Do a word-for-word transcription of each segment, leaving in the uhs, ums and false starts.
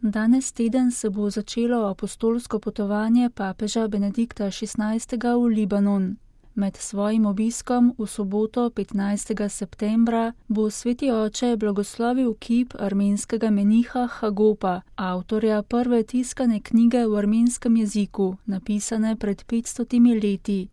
Danes teden se bo začelo apostolsko potovanje papeža Benedikta šestnajstega v Libanon. Med svojim obiskom v soboto petnajstega septembra bo sveti oče blagoslovil kip armenskega meniha Hagopa, avtorja prve tiskane knjige v armenskem jeziku, napisane pred petstotimi leti.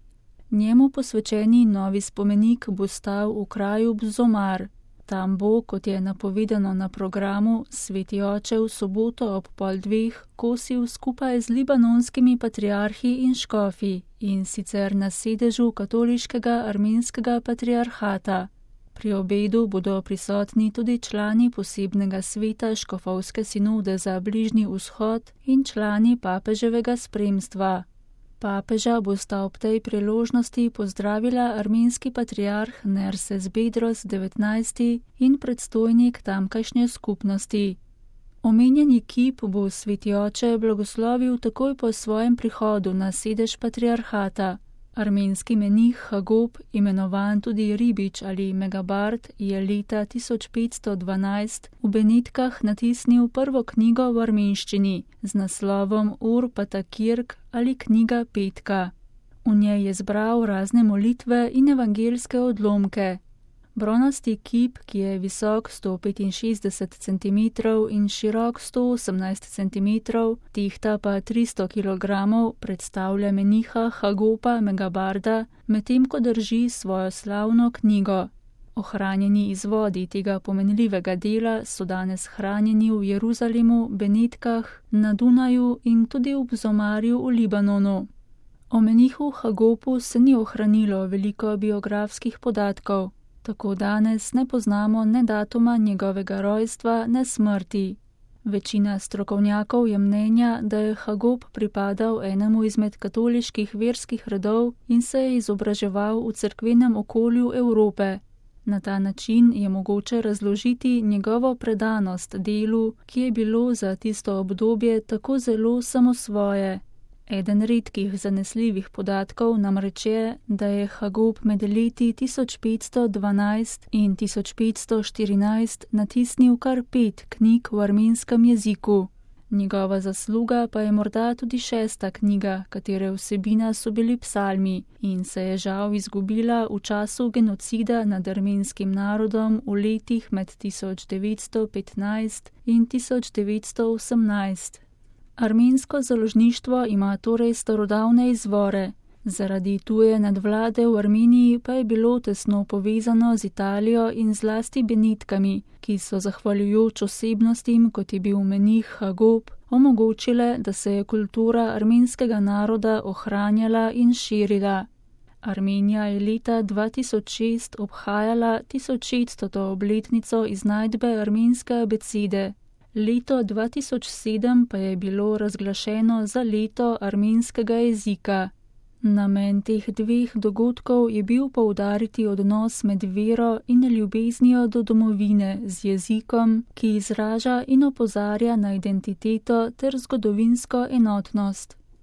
Njemu posvečeni novi spomenik bo stal v kraju Bzomar. Tam bo, kot je napovedano na programu, sveti oče v soboto ob pol dveh kosil skupaj z libanonskimi patriarhi in škofi, in sicer na sedežu katoliškega armenskega patriarhata. Pri obedu bodo prisotni tudi člani posebnega sveta škofovske sinode za Bližnji vzhod in člani papeževega spremstva. Papeža bosta ob tej priložnosti pozdravila armenski patriarh Nerses Bedros devetnajsti in predstojnik tamkajšnje skupnosti. Omenjeni kip bo sveti oče blagoslovil takoj po svojem prihodu na sedež patriarhata. Armenski menih Hagop, imenovan tudi Ribič ali Megabart, je leta tisoč petsto dvanajst v Benetkah natisnil prvo knjigo v armenščini z naslovom Ur Patakirk ali knjiga petka. V njej je zbral razne molitve in evangelske odlomke. Bronasti kip, ki je visok sto petinšestdeset centimetrov in širok sto osemnajst centimetrov, tehta pa tristo kilogramov, predstavlja meniha Hagopa Megabarda, medtem ko drži svojo slavno knjigo. Ohranjeni izvodi tega pomenljivega dela so danes hranjeni v Jeruzalemu, Benetkah, na Dunaju in tudi v Bzomarju v Libanonu. O menihu Hagopu se ni ohranilo veliko biografskih podatkov. Tako danes ne poznamo ne datuma njegovega rojstva, ne smrti. Večina strokovnjakov je mnenja, da je Hagop pripadal enemu izmed katoliških verskih redov in se je izobraževal v cerkvenem okolju Evrope. Na ta način je mogoče razložiti njegovo predanost delu, ki je bilo za tisto obdobje tako zelo samosvoje. Eden redkih zanesljivih podatkov namreč je, da je Hagop med leti tisoč petsto dvanajst in tisoč petsto štirinajst natisnil kar pet knjig v armenskem jeziku. Njegova zasluga pa je morda tudi šesta knjiga, katere vsebina so bili psalmi in se je žal izgubila v času genocida nad armenskim narodom v letih med tisoč devetsto petnajst in tisoč devetsto osemnajst. Armensko založništvo ima torej starodavne izvore, zaradi tuje nadvlade v Armeniji pa je bilo tesno povezano z Italijo in zlasti Benetkami, ki so zahvaljujoč osebnostim, kot je bil menih Hagop, omogočile, da se je kultura armenskega naroda ohranjala in širila. Armenija je leta dva tisoč šest obhajala tisočšeststo obletnico iznajdbe armenske abecede. Leto dva tisoč sedem pa je bilo razglašeno za leto armenskega jezika. Namen teh dveh dogodkov je bil poudariti odnos med vero in ljubeznijo do domovine z jezikom, ki izraža in opozarja na identiteto ter zgodovinsko enotnost.